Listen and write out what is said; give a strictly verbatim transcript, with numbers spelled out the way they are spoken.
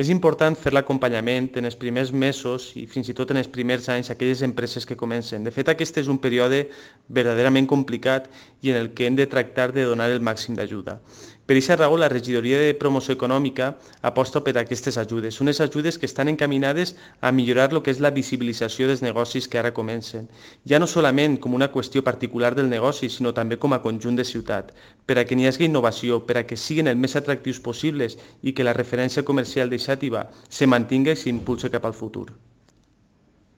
És important fer l'acompanyament en els primers mesos i fins i tot en els primers anys a aquelles empreses que comencen. De fet, aquest és un període verdaderament complicat i en el que hem de tractar de donar el màxim d'ajuda. Per aquesta raó, la Regidoria de Promoció Econòmica aposta per aquestes ajudes, unes ajudes que estan encaminades a millorar el que és la visibilització dels negocis que ara comencen, ja no solament com una qüestió particular del negoci, sinó també com a conjunt de ciutat, per a que n'hi hagi innovació, per a que siguin el més atractius possibles i que la referència comercial d'Eixàtiva se mantingui i s'impulsi cap al futur.